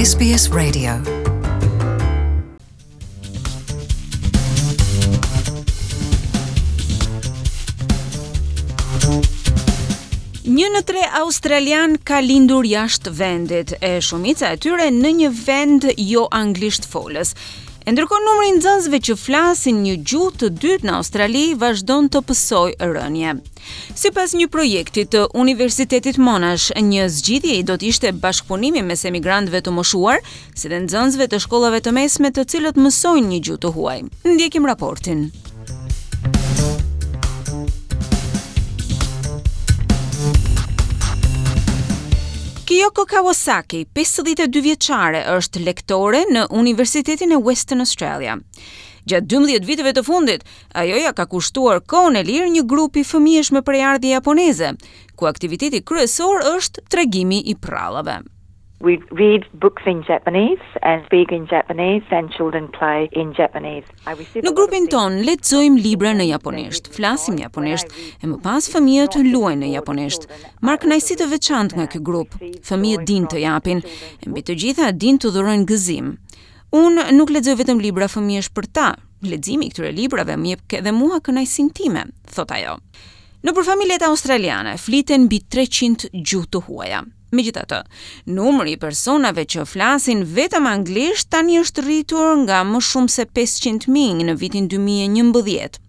SBS Radio. Një në tre australianë ka lindur jashtë vendit, e shumica e tyre në një vend jo anglisht folës. E ndërkohë numri i nxënësve që flasin një gjuhë të dytë në Australi vazhdon të pësojë rënie. Sipas një projekti të Universitetit Monash, një zgjidhje do të ishte bashkëpunimi mes emigrantëve të moshuar, si dhe nxënësve të shkollave të mesme të cilët mësojnë një gjuhë të huaj. Ndjekim raportin. Kiyoko Kawasaki, 52 vjeçare, është lektore në Universitetin e Western Australia. Gjatë 12 viteve të fundit, ajo ia ka kushtuar kohën e lirë një grupi fëmijësh me prejardhje japoneze, ku aktiviteti kryesor është tregimi i përrallave. We read books in Japanese and speak in Japanese and children play in Japanese. Në grupin tonë lexojmë libra në japonisht, flasim japonisht, e më pas fëmijët luajnë në japonisht. Marr kënaqësi të veçantë nga ky grup. Fëmijët dinë të japin, e mbi të gjitha dinë të dhurojnë gëzim. Unë nuk lexoj vetëm libra fëmijësh për ta. Leximi i këtyre librave më jep edhe mua kënaqësinë time, thotë ajo. Nëpër familjet australiane fliten mbi 300 gjuhë të huaja. Megjithatë, numri i personave që flasin vetëm anglisht tani është rritur nga më shumë se 500.000 në vitin 2011.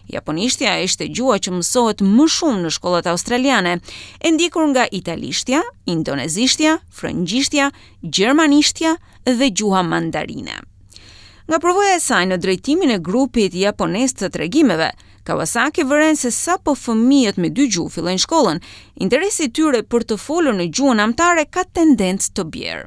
Japonishtja ishte gjuha që mësohet më shumë në shkollat australiane, e ndjekur nga italishtja, indonezishtja, frëngjishtja, gjermanishtja dhe gjuha mandarine. Nga përvoja e saj në drejtimin e grupit japonez të tregimeve, Kawasaki vëren se sapo fëmijët me dy gjuhë fillojnë shkollën, interesi i tyre për të folur në gjuhën amtare ka tendencë të bjerë.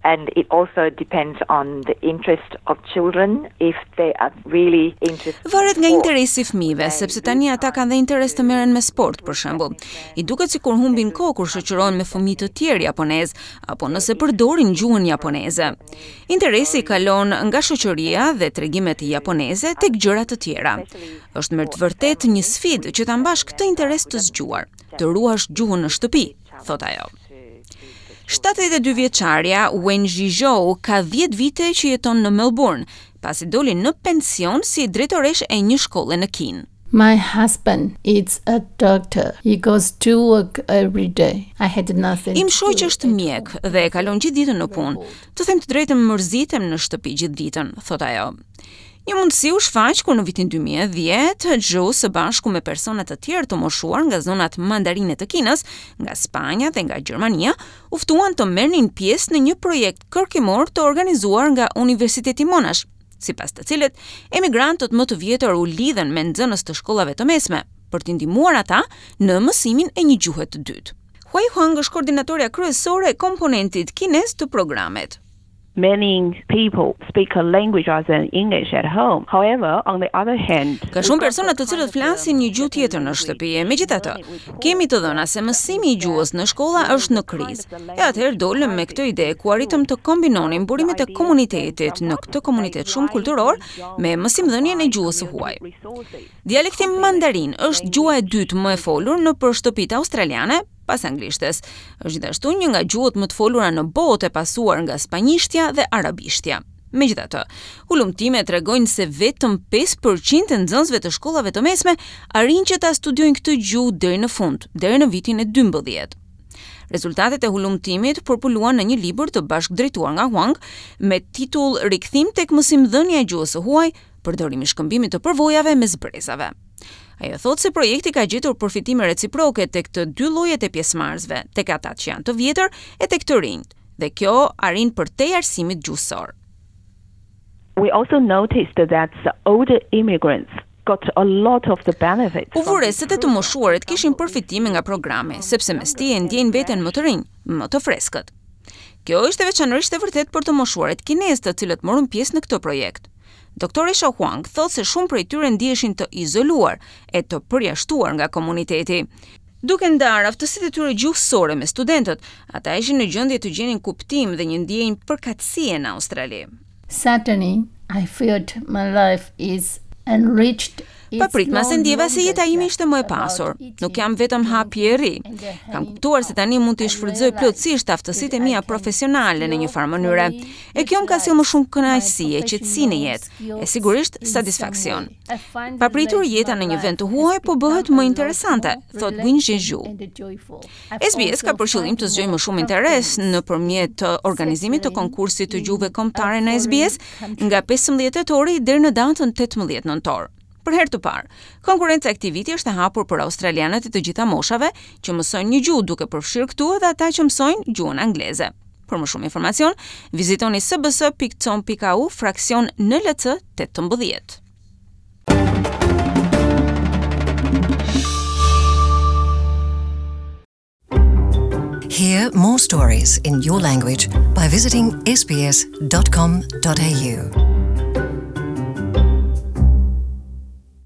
And it also depends on the interest of children if they are really interested. Varet nga interesi i fëmijëve, sepse tani ata kanë dhe interes të merren me sport, për shembull. I duket sikur humbin kohë kur shoqërohen me fëmijë të tjerë japonezë, apo nëse përdorin gjuhën japoneze. Interesi kalon nga shoqëria dhe tregimet japoneze tek gjëra të tjera. Është me të vërtetë një sfidë që ta mbash këtë interes të zgjuar, të ruash gjuhën në shtëpi, thotë ajo. 72 vjeçarja Wen Zhizhou ka 10 vite që jeton në Melbourne, pasi doli në pension si drejtoreshë e një shkolle në Kinë. My husband is a doctor. He goes to work every day. I had nothing. Im shoq është mjek dhe e kalon gjithë ditën në punë. Të them të drejtën mërzitem në shtëpi gjithë ditën, thotë ajo. Një mundësi u shfaq kur në vitin 2010, Zhou së bashku me persona të tjerë të moshuar nga zonat mandarine të Kinës, nga Spanja dhe nga Gjermania, u ftuan të merrnin pjesë në një projekt kërkimor të organizuar nga Universiteti Monash, sipas të cilit emigrantët më të vjetër u lidhën me nxënës të shkollave të mesme për t'i ndihmuar ata në mësimin e një gjuhe të dytë. Huai Huang është koordinatorja kryesore e komponentit kinez të programit. Many people speak a language other than English at home. However, on the other hand, Ka shumë persona të cilët flasin një gjuhë tjetër në shtëpi, e megjithatë, kemi të dhëna se mësimi i gjuhës në shkolla është në krizë. E atëherë dolëm me këtë ide ku arritëm të kombinonim burimet e komunitetit në këtë komunitet shumëkulturor me mësimdhënien e gjuhës së huaj. Dialekti mandarin është gjuha e dytë më e folur nëpër shtëpitë australiane pas anglishtes. Është gjithashtu një nga gjuhët më të folura në botë e pasuar nga spanjishtja dhe arabishtja. Megjithatë, hulumtimet tregojnë se vetëm 5% e nxënësve të shkollave të mesme arrijnë që ta studiojnë këtë gjuhë deri në fund, deri në vitin e 12. Rezultatet e hulumtimit përpuluan në një libër të bashkëdrejtuar nga Huang me titull Rikthim tek mësimdhënia e gjuhës së huaj, përdorimi i shkëmbimit të përvojave mes brezave. Ajo thotë se projekti ka gjetur përfitime reciproke tek të dy llojet e pjesëmarrësve, tek ata që janë të vjetër e tek të rinjtë, dhe kjo arrin përtej arsimit gjuhësor. We also noticed that the older immigrants got a lot of the benefits. U vu re se të moshuarit kishin përfitime nga programi, sepse mes tij e ndjejnë veten më të rinj, më të freskët. Kjo ishte veçanërisht e vërtetë për të moshuarit kinezë, të cilët morën pjesë në këtë projekt. Doktoresha Huang thotë se shumë prej tyre ndiheshin të izoluar e të përjashtuar nga komuniteti. Duke ndarë aftësitë e tyre gjuhësore me studentët, ata ishin në gjendje të gjenin kuptim dhe një ndjenjë përkatësie në Australi. Suddenly, I felt my life is enriched. Papritmas e ndjeva se jeta ime ishte më e pasur. Nuk jam vetëm ha pi e rri. Kam kuptuar se tani mund t'i shfrytëzoj plotësisht aftësitë e mia profesionale në një farë mënyre. E kjo më ka sjellë më shumë kënaqësi e qetësi në jetë, e sigurisht satisfaksion. Papritur jeta në një vend të huaj po bëhet më interesante, thotë Wenjie Zhu. SBS ka për qëllim të zgjojë më shumë interes nëpërmjet organizimit të konkursit të gjuhëve kombëtare në SBS nga 15 tetori deri në datën 18 nëntor. Për herë të parë, konkurrenca e këtij viti është e hapur për australianët e të gjitha moshave që mësojnë një gjuhë, duke përfshirë këtu edhe ata që mësojnë gjuhën angleze. Për më shumë informacion, vizitoni sbs.com.au fraksion NLC 18. Hear more stories in your language by visiting sbs.com.au.